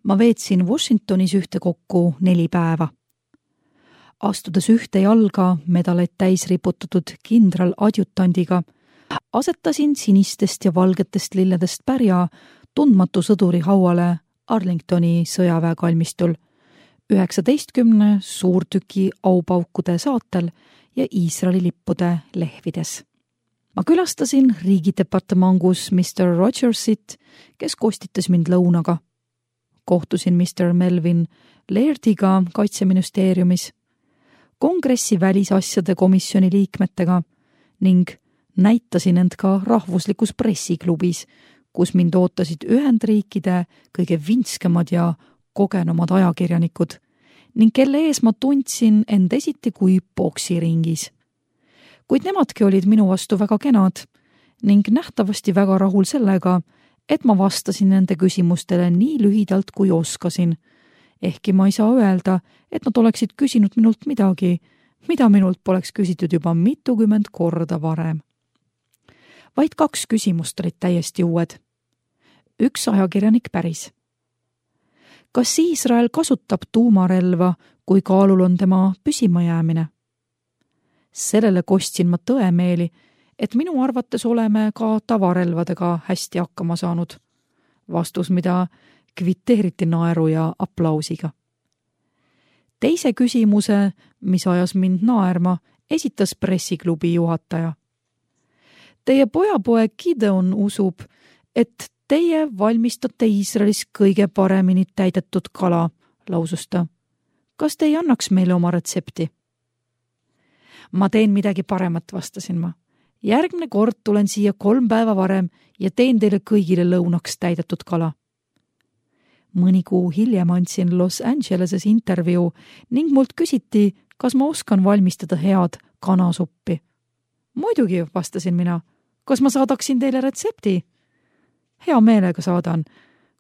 Ma veetsin Washingtonis ühtekokku 4 päeva. Astudes ühte jalga medaleid täis riputatud kindral-adjutandiga, asetasin sinistest ja valgetest lilledest pärja tundmatu sõduri hauale Arlingtoni sõjaväekalmistul 19 suurtüki aupaukude saatel ja Iisraeli lippude lehvides. Ma külastasin riigidepartemangus Mr. Rogersit, kes kostitas mind lõunaga. Kohtusin Mr. Melvin Lairdiga Kaitseministeeriumis, kongressi välisasjade komisjoni liikmetega ning näitasin end ka rahvuslikus pressiklubis, kus mind ootasid Ühendriikide kõige vinskemad ja kogenumad ajakirjanikud ning kelle ees ma tundsin end esiti kui poksiringis. Kuid nemadki olid minu vastu väga kenad ning nähtavasti väga rahul sellega, et ma vastasin nende küsimustele nii lühidalt kui oskasin, ehkki ma ei saa öelda, et nad oleksid küsinud minult midagi, mida minult poleks küsitud juba mitukümmend korda varem. Vaid 2 küsimust olid täiesti uued. Üks ajakirjanik päris. Kas Iisrael kasutab tuumarelva, kui kaalul on tema püsimajäämine? Sellele kostsin ma tõemeeli, et minu arvates oleme ka tavarelvadega hästi hakkama saanud. Vastus, mida kvitteeriti naeru ja aplausiga. Teise küsimuse, mis ajas mind naerma, esitas pressiklubi juhataja. Teie pojapoeg Gideon usub, et teie valmistate Iisraelis kõige paremini täidetud kala, lausus ta. Kas te ei annaks meile oma retsepti? Ma teen midagi paremat, vastasin ma. Järgmine kord tulen siia 3 päeva varem ja teen teile kõigile lõunaks täidetud kala. Mõni kuu hiljem andsin Los Angeleses intervjuu ning mult küsiti, kas ma oskan valmistada head kanasuppi. Muidugi, vastasin mina. Kas ma saadaksin teile retsepti? Hea meelega saadan.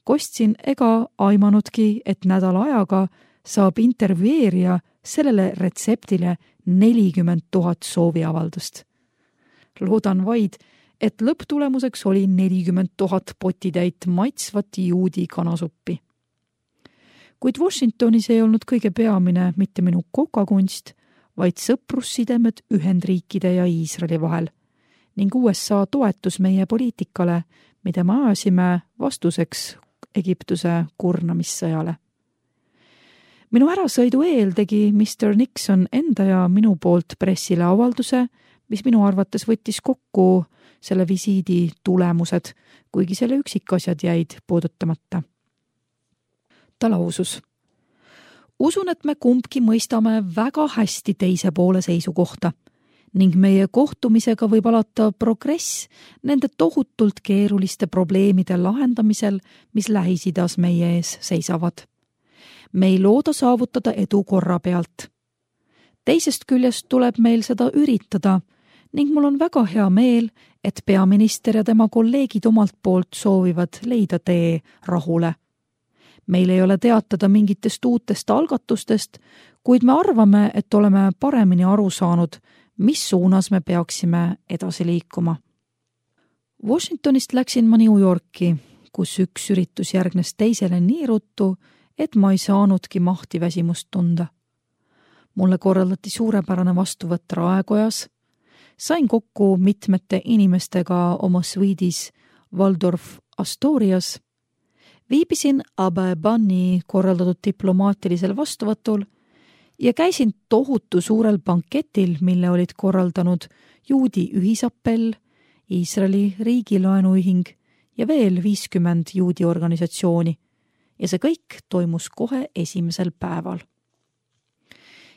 Kostsin ega aimanudki, et nädala ajaga saab intervjueerija sellele retseptile 40 000 sooviavaldust. Loodan vaid, et lõpptulemuseks oli 40 000 potitäit maitsvat juudi kanasuppi. Kuid Washingtonis ei olnud kõige peamine mitte minu kokakunst, vaid sõprussidemed Ühendriikide ja Iisraeli vahel ning USA toetus meie poliitikale, mida me ajasime vastuseks Egiptuse kurnamissõjale. Minu ärasõidu eel tegi Mr. Nixon enda ja minu poolt pressile avalduse, mis minu arvates võttis kokku selle visiidi tulemused, kuigi selle üksikasjad jäid puudutamata. Ta lausus. Usun, et me kumbki mõistame väga hästi teise poole seisukohta ning meie kohtumisega võib alata progress nende tohutult keeruliste probleemide lahendamisel, mis Lähis-Idas meie ees seisavad. Me ei looda saavutada edu korra pealt. Teisest küljest tuleb meil seda üritada ning mul on väga hea meel, et peaminister ja tema kolleegid omalt poolt soovivad leida tee rahule. Meil ei ole teatada mingitest uutest algatustest, kuid me arvame, et oleme paremini aru saanud, mis suunas me peaksime edasi liikuma. Washingtonist läksin ma New Yorki, kus üks üritus järgnes teisele nii ruttu, et ma ei saanudki mahtiväsimust tunda. Mulle korraldati suurepärane vastuvõtt Raekojas, sain kokku mitmete inimestega oma suiidis Waldorf Astorias, viibisin Abba Ebani korraldatud diplomaatilisel vastuvõtul ja käisin tohutu suurel banketil, mille olid korraldanud juudi ühisappell, Iisraeli riigilaenuühing ja veel 50 juudi organisatsiooni ja see kõik toimus kohe esimesel päeval.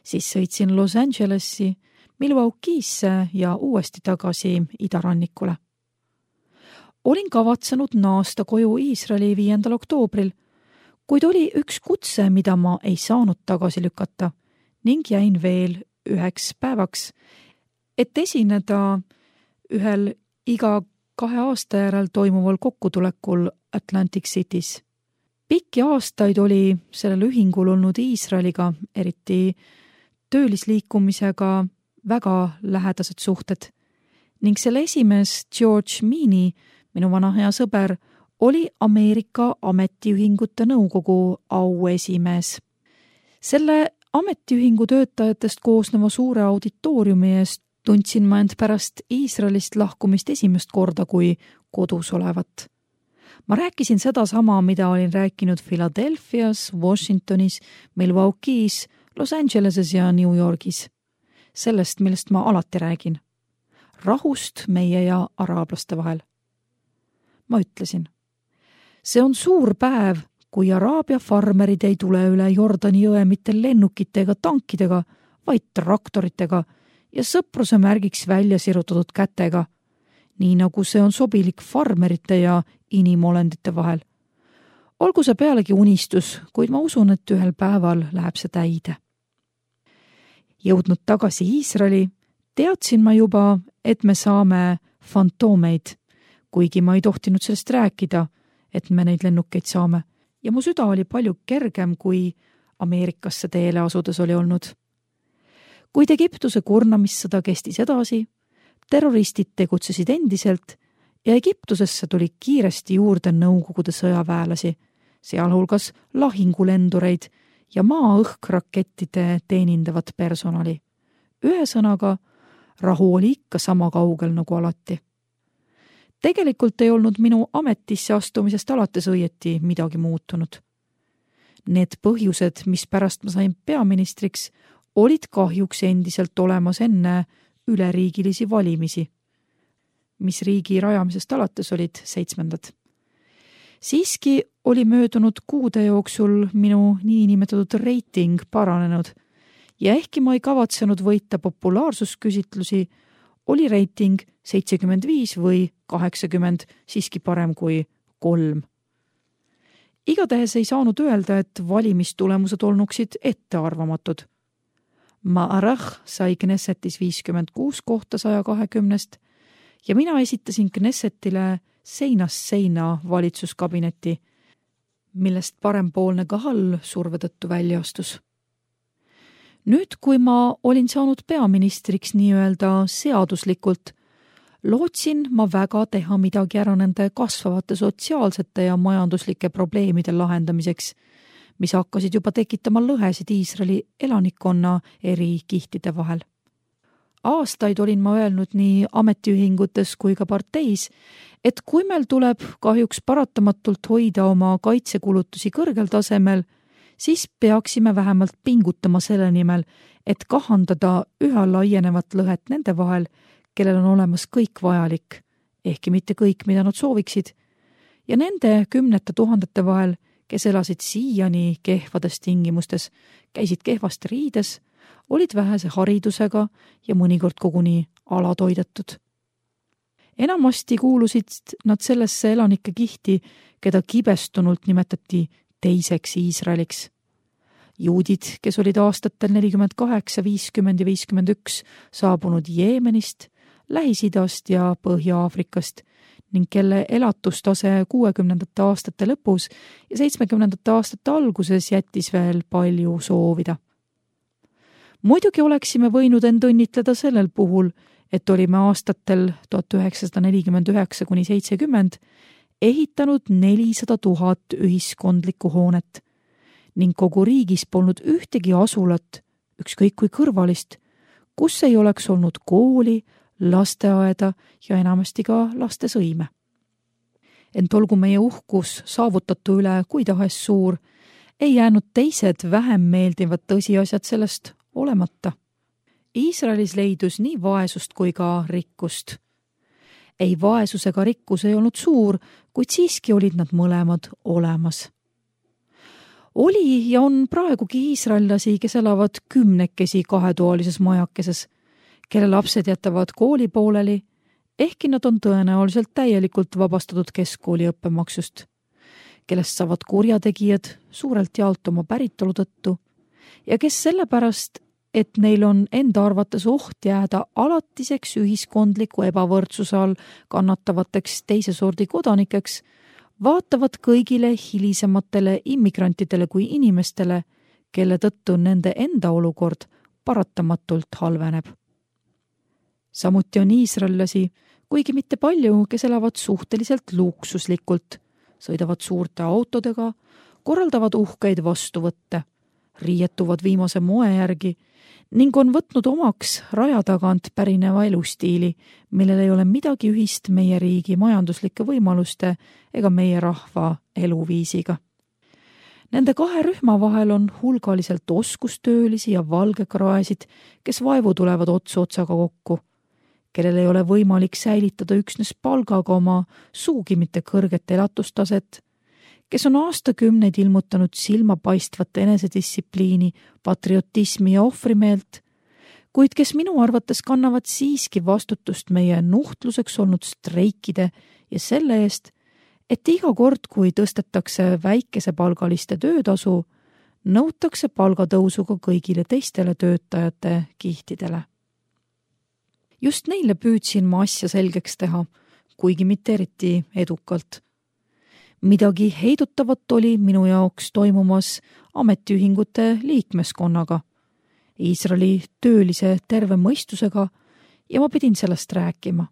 Siis sõitsin Los Angelesi, Milwaukee'sse ja uuesti tagasi idarannikule. Olin kavatsenud naasta koju Iisraeli 5. oktoobril, kuid oli üks kutse, mida ma ei saanud tagasi lükata ning jäin veel 1 päevaks, et esineda ühel iga 2 aasta järel toimuval kokkutulekul Atlantic City's. Pikki aastaid oli sellel ühingul olnud Iisraeliga, eriti töölisliikumisega, väga lähedased suhted ning selle esimees George Meany, minu vana hea sõber, oli Ameerika Ametiühingute Nõukogu auesimees. Selle ametiühingu töötajatest koosneva suure auditooriumi eest tundsin ma end pärast Iisraelist lahkumist esimest korda kui kodus olevat. Ma rääkisin sedasama, mida olin rääkinud Philadelphias, Washingtonis, Milwaukee's, Los Angeleses ja New Yorgis. Sellest, millest ma alati räägin. Rahust meie ja araablaste vahel. Ma ütlesin, see on suur päev, kui Araabia farmerid ei tule üle Jordani jõe mitte lennukite ega tankidega, vaid traktoritega ja sõpruse märgiks välja sirutatud kätega, nii nagu see on sobilik farmerite ja inimolendite vahel. Olgu see pealegi unistus, kuid ma usun, et ühel päeval läheb see täide. Jõudnud tagasi Iisraeli, teadsin ma juba, et me saame fantoomeid, kuigi ma ei tohtinud sellest rääkida, et me neid lennukeid saame, ja mu süda oli palju kergem, kui Ameerikasse teele asudes oli olnud. Kuid Egiptuse kurnamissõda kestis edasi, terroristid tegutsesid endiselt ja Egiptusesse tuli kiiresti juurde Nõukogude sõjaväelasi, sealhulgas lahingulendureid ja maa-õhkrakettide teenindavat personali. Ühesõnaga, rahu oli ikka sama kaugel nagu alati. Tegelikult ei olnud minu ametisse astumisest alates õieti midagi muutunud. Need põhjused, mis pärast ma sain peaministriks, olid kahjuks endiselt olemas enne üleriigilisi valimisi, mis riigi rajamisest alates olid 7. Siiski oli möödunud kuude jooksul minu niinimetatud reiting paranenud ja ehkki ma ei kavatsenud võita populaarsusküsitlusi, oli reiting 75 või 80 siiski parem kui 3. Igatahes ei saanud öelda, et valimistulemused olnuksid ettearvamatud. Ma'arach sai Knessetis 56 kohta 120 ja mina esitasin Knessetile seinast seina valitsuskabineti, millest parempoolne Kahal surve tõttu välja astus. Nüüd, kui ma olin saanud peaministriks nii-öelda seaduslikult, lootsin ma väga teha midagi ära nende kasvavate sotsiaalsete ja majanduslike probleemide lahendamiseks, mis hakkasid juba tekitama lõhesid Iisraeli elanikkonna eri kihtide vahel. Aastaid olin ma öelnud nii ametiühingutes kui ka parteis, et kui meil tuleb kahjuks paratamatult hoida oma kaitsekulutusi kõrgel tasemel, siis peaksime vähemalt pingutama selle nimel, et kahandada üha laienevat lõhet nende vahel, kellel on olemas kõik vajalik, ehkki mitte kõik, mida nad sooviksid, ja nende 10 000 vahel, kes elasid siiani kehvades tingimustes, käisid kehvasti riides, olid vähese haridusega ja mõnikord koguni alatoidetud. Enamasti kuulusid nad sellesse elanike kihti, keda kibestunult nimetati teiseks Iisraeliks. Juudid, kes olid aastatel 48, 50 ja 51 saabunud Jeemenist, Lähis-Idast ja Põhja-Aafrikast ning kelle elatustase 60. aastate lõpus ja 70. aastate alguses jättis veel palju soovida. Muidugi oleksime võinud end õnnitleda sellel puhul, et olime aastatel 1949–70 ehitanud 400 000 ühiskondlikku hoonet ning kogu riigis polnud ühtegi asulat, ükskõik kui kõrvalist, kus ei oleks olnud kooli, lasteaeda ja enamasti ka lastesõime. Ent olgu meie uhkus saavutatu üle kui tahes suur, ei jäänud teised vähem meeldivad tõsiasjad sellest olemata. Iisraelis leidus nii vaesust kui ka rikkust. Ei vaesus ega rikkus ei olnud suur, kuid siiski olid nad mõlemad olemas. Oli ja on praegugi iisraellasi, kes elavad 10 kahetoalises majakeses, kelle lapsed jätavad kooli pooleli, ehkki nad on tõenäoliselt täielikult vabastatud keskkooli õppemaksust, kellest saavad kurjategijad suurelt jaolt oma päritolu tõttu ja kes sellepärast, et neil on enda arvates oht jääda alatiseks ühiskondliku ebavõrdsuse all kannatavateks teise sordi kodanikeks, vaatavad kõigile hilisematele immigrantidele kui inimestele, kelle tõttu nende enda olukord paratamatult halveneb. Samuti on iisraellasi, kuigi mitte palju, kes elavad suhteliselt luksuslikult, sõidavad suurte autodega, korraldavad uhkeid vastuvõtte, riietuvad viimase moe järgi ning on võtnud omaks raja tagant pärineva elustiili, millel ei ole midagi ühist meie riigi majanduslike võimaluste ega meie rahva eluviisiga. Nende kahe rühma vahel on hulgaliselt oskustöölisi ja valgekraesid, kes vaevu tulevad ots otsaga kokku, kellel ei ole võimalik säilitada üksnes palgaga oma suugi mitte kõrget elatustaset, kes on aastakümneid ilmutanud silmapaistvat enesedistsipliini, patriotismi ja ohvrimeelt, kuid kes minu arvates kannavad siiski vastutust meie nuhtluseks olnud streikide ja selle eest, et iga kord, kui tõstetakse väikesepalgaliste töötasu, nõutakse palgatõusuga kõigile teistele töötajate kihtidele. Just neile püüdsin ma asja selgeks teha, kuigi mitte eriti edukalt. Midagi heidutavat oli minu jaoks toimumas ametiühingute liikmeskonnaga, Iisraeli töölise terve mõistusega ja ma pidin sellest rääkima.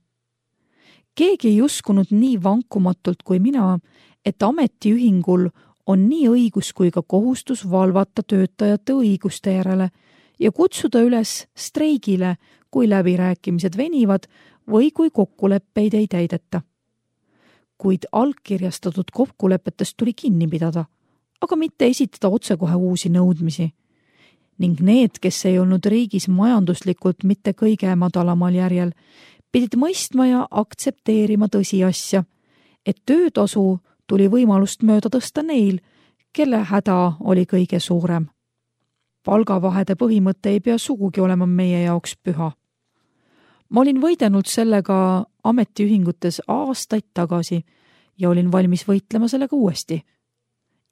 Keegi ei uskunud nii vankumatult kui mina, et ametiühingul on nii õigus kui ka kohustus valvata töötajate õiguste järele ja kutsuda üles streigile, kui läbirääkimised venivad või kui kokkuleppeid ei täideta. Kuid allkirjastatud kokkulepetest tuli kinni pidada, aga mitte esitada otsekohe uusi nõudmisi. Ning need, kes ei olnud riigis majanduslikult mitte kõige madalamal järjel, pidid mõistma ja aktsepteerima tõsiasja, et töötasu tuli võimalust mööda tõsta neil, kelle häda oli kõige suurem. Palgavahede põhimõte ei pea sugugi olema meie jaoks püha. Ma olin võidelnud sellega ametiühingutes aastaid tagasi ja olin valmis võitlema sellega uuesti.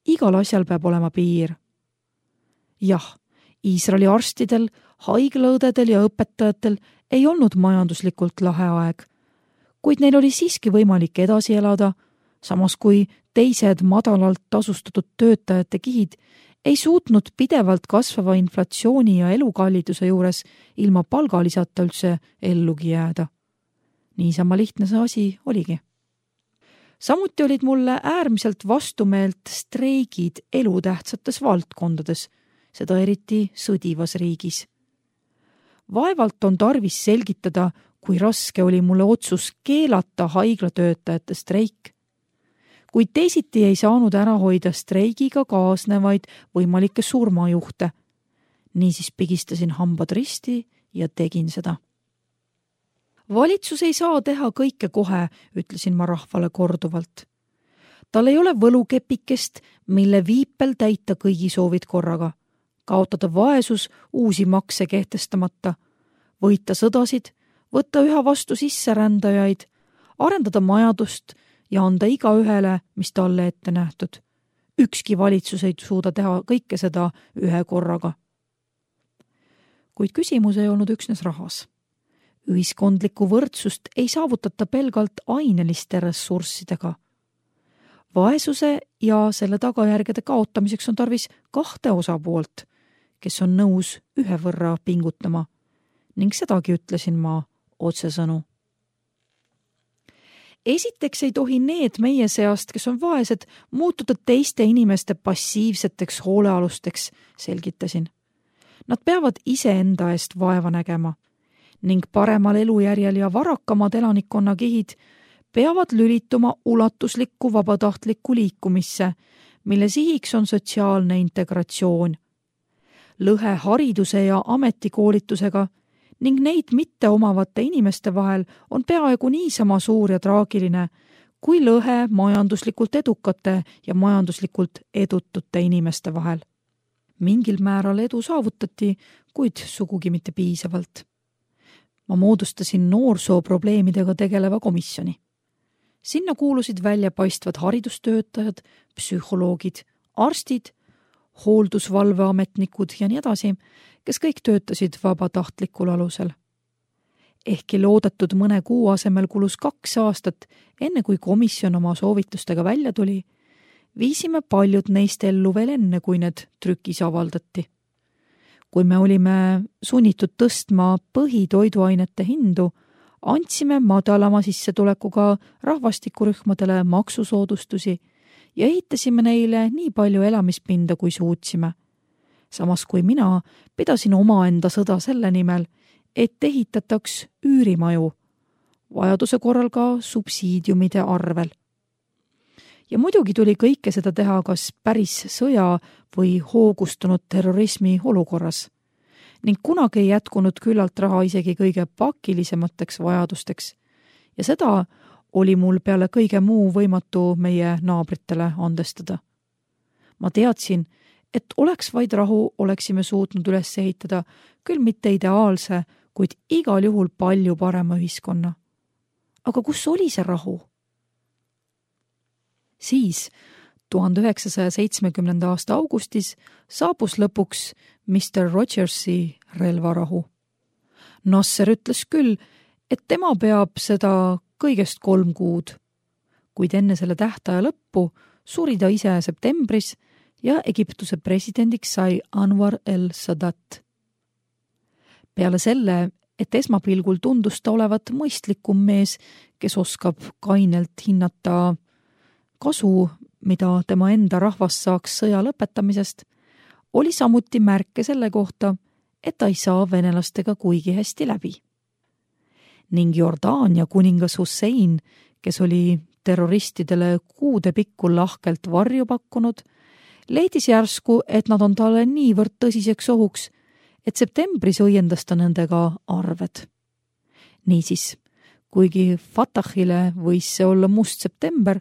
Igal asjal peab olema piir. Jah, Iisraeli arstidel, haiglaõdedel ja õpetajatel ei olnud majanduslikult lahe aeg, kuid neil oli siiski võimalik edasi elada, samas kui teised madalalt tasustatud töötajate kihid ei suutnud pidevalt kasvava inflatsiooni ja elukalliduse juures ilma palgalisata üldse ellugi jääda. Niisama lihtne see asi oligi. Samuti olid mulle äärmiselt vastumeelt streigid elutähtsates valdkondades, seda eriti sõdivas riigis. Vaevalt on tarvis selgitada, kui raske oli mulle otsus keelata haiglatöötajate streik. Kuid teisiti ei saanud ära hoida streigiga kaasnevaid võimalikke surmajuhte. Niisiis pigistasin hambad risti ja tegin seda. Valitsus ei saa teha kõike kohe, ütlesin ma rahvale korduvalt. Tal ei ole võlukepikest, mille viipel täita kõigi soovid korraga, kaotada vaesus uusi makse kehtestamata, võita sõdasid, võtta üha vastu sisserändajaid, arendada majandust ja anda igaühele, mis talle ette nähtud. Ükski valitsus ei suuda teha kõike seda ühe korraga. Kuid küsimus ei olnud üksnes rahas. Ühiskondlikku võrdsust ei saavutata pelgalt aineliste ressurssidega. Vaesuse ja selle tagajärgede kaotamiseks on tarvis kahte osapoolt, kes on nõus ühe võrra pingutama, ning sedagi ütlesin ma otsesõnu. Esiteks ei tohi need meie seast, kes on vaesed, muutuda teiste inimeste passiivseteks hoolealusteks, selgitasin. Nad peavad iseenda eest vaeva nägema ning paremal elujärjel ja varakamad elanikkonna kihid peavad lülituma ulatuslikku vabatahtlikku liikumisse, mille sihiks on sotsiaalne integratsioon. Lõhe hariduse ja ametikoolitusega ning neid mitte omavate inimeste vahel on peaaegu niisama suur ja traagiline, kui lõhe majanduslikult edukate ja majanduslikult edutute inimeste vahel. Mingil määral edu saavutati, kuid sugugi mitte piisavalt. Ma moodustasin noorsooprobleemidega tegeleva komisjoni. Sinna kuulusid väljapaistvad haridustöötajad, psühholoogid, arstid, hooldusvalveametnikud ja nii edasi, kes kõik töötasid vabatahtlikul alusel. Ehkki loodetud mõne kuu asemel kulus 2 aastat, enne kui komisjon oma soovitustega välja tuli, viisime paljud neist ellu veel enne, kui need trükis avaldati. Kui me olime sunnitud tõstma põhitoiduainete hindu, andsime madalama sissetulekuga rahvastikurühmadele maksusoodustusi ja ehitasime neile nii palju elamispinda, kui suutsime. Samas kui mina pidasin omaenda sõda selle nimel, et ehitataks üürimaju, vajaduse korral ka subsiidiumide arvel. Ja muidugi tuli kõike seda teha kas päris sõja või hoogustunud terrorismi olukorras ning kunagi ei jätkunud küllalt raha isegi kõige pakilisemateks vajadusteks ja seda oli mul peale kõige muu võimatu meie naabritele andestada. Ma teadsin, et oleks vaid rahu, oleksime suutnud üles ehitada küll mitte ideaalse, kuid igal juhul palju parema ühiskonna. Aga kus oli see rahu? Siis 1970. aasta augustis saabus lõpuks Mr. Rogersi relvarahu. Nasser ütles küll, et tema peab seda kõigest 3 kuud, kuid enne selle tähtaja lõppu suri ta ise septembris ja Egiptuse presidendiks sai Anwar el-Sadat. Peale selle, et esmapilgul tundus ta olevat mõistlikum mees, kes oskab kainelt hinnata kasu, mida tema enda rahvas saaks sõja lõpetamisest, oli samuti märke selle kohta, et ta ei saa venelastega kuigi hästi läbi. Ning Jordaania kuningas Hussein, kes oli terroristidele kuude pikku lahkelt varju pakkunud, leidis järsku, et nad on talle niivõrd tõsiseks ohuks, et septembris õiendas ta nendega arved. Niisiis, kuigi Fatahile võis see olla must september,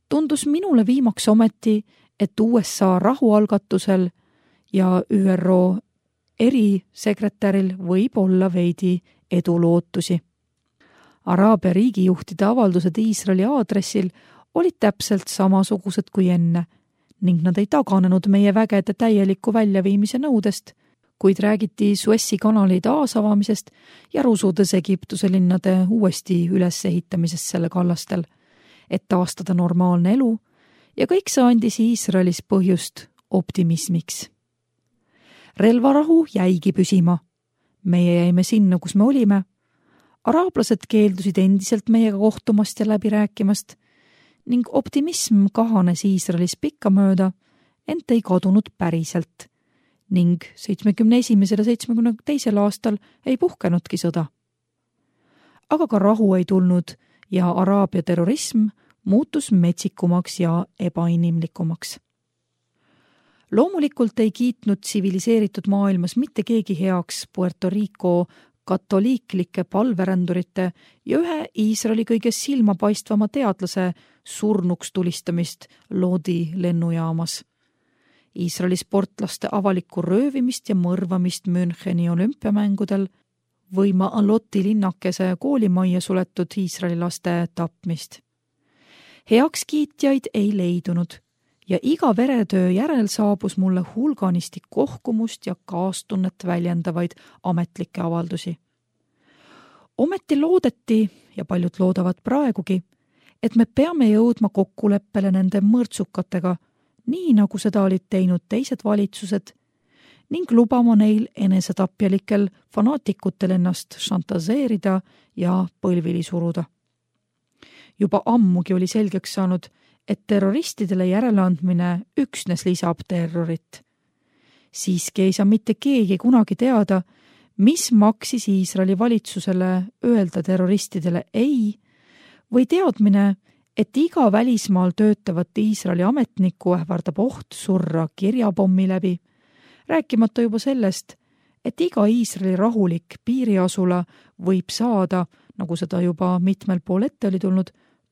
tundus minule viimaks ometi, et USA rahualgatusel ja ÜRO erisekretäril võib olla veidi edulootusi. Araabia riigijuhtide avaldused Iisraeli aadressil olid täpselt samasugused kui enne ning nad ei taganenud meie vägede täieliku väljaviimise nõudest, kuid räägiti Suessi kanali taasavamisest ja rusudes Egiptuse linnade uuesti ülesehitamisest selle kallastel, et taastada normaalne elu ja kõik see andis Iisraelis põhjust optimismiks. Relvarahu jäigi püsima. Meie jäime sinna, kus me olime. Araablased keeldusid endiselt meiega kohtumast ja läbi rääkimast ning optimism kahanes Iisraelis pikkamööda, ent ei kadunud päriselt ning 71. ja 72. aastal ei puhkenudki sõda. Aga ka rahu ei tulnud ja Araabia terrorism muutus metsikumaks ja ebainimlikumaks. Loomulikult ei kiitnud tsiviliseeritud maailmas mitte keegi heaks Puerto Rico katoliiklike palverändurite ja ühe Iisraeli kõige silmapaistvama teadlase surnuks tulistamist Lodi lennujaamas. Iisraeli sportlaste avalikku röövimist ja mõrvamist Müncheni olümpiamängudel või Maaloti linnakese koolimajja suletud Iisraeli laste tapmist. Heakskiitjaid ei leidunud ja iga veretöö järel saabus mulle hulganisti kohkumust ja kaastunnet väljendavaid ametlikke avaldusi. Ometi loodeti, ja paljud loodavad praegugi, et me peame jõudma kokkuleppele nende mõrtsukatega, nii nagu seda olid teinud teised valitsused, ning lubama neil enesetapjalikel fanaatikutel ennast šantaseerida ja põlvili suruda. Juba ammugi oli selgeks saanud, et terroristidele järeleandmine üksnes lisab terrorit. Siiski ei saa mitte keegi kunagi teada, mis maksis Iisraeli valitsusele öelda terroristidele ei, või teadmine, et iga välismaal töötavat Iisraeli ametnikku ähvardab oht surra kirjapommi läbi, rääkimata juba sellest, et iga Iisraeli rahulik piiriasula võib saada, nagu seda juba mitmel pool ette oli tulnud,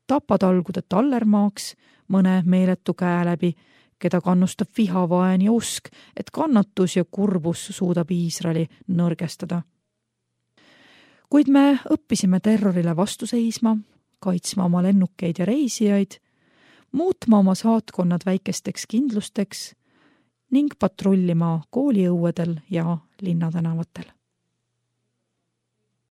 tapatalgude tallermaaks mõne meeletu käe läbi, keda kannustab vihavaen ja usk, et kannatus ja kurbus suudab Iisraeli nõrgestada. Kuid me õppisime terrorile vastu seisma, kaitsma oma lennukeid ja reisijaid, muutma oma saatkonnad väikesteks kindlusteks ning patrullima kooliõuedel ja linnatänavatel.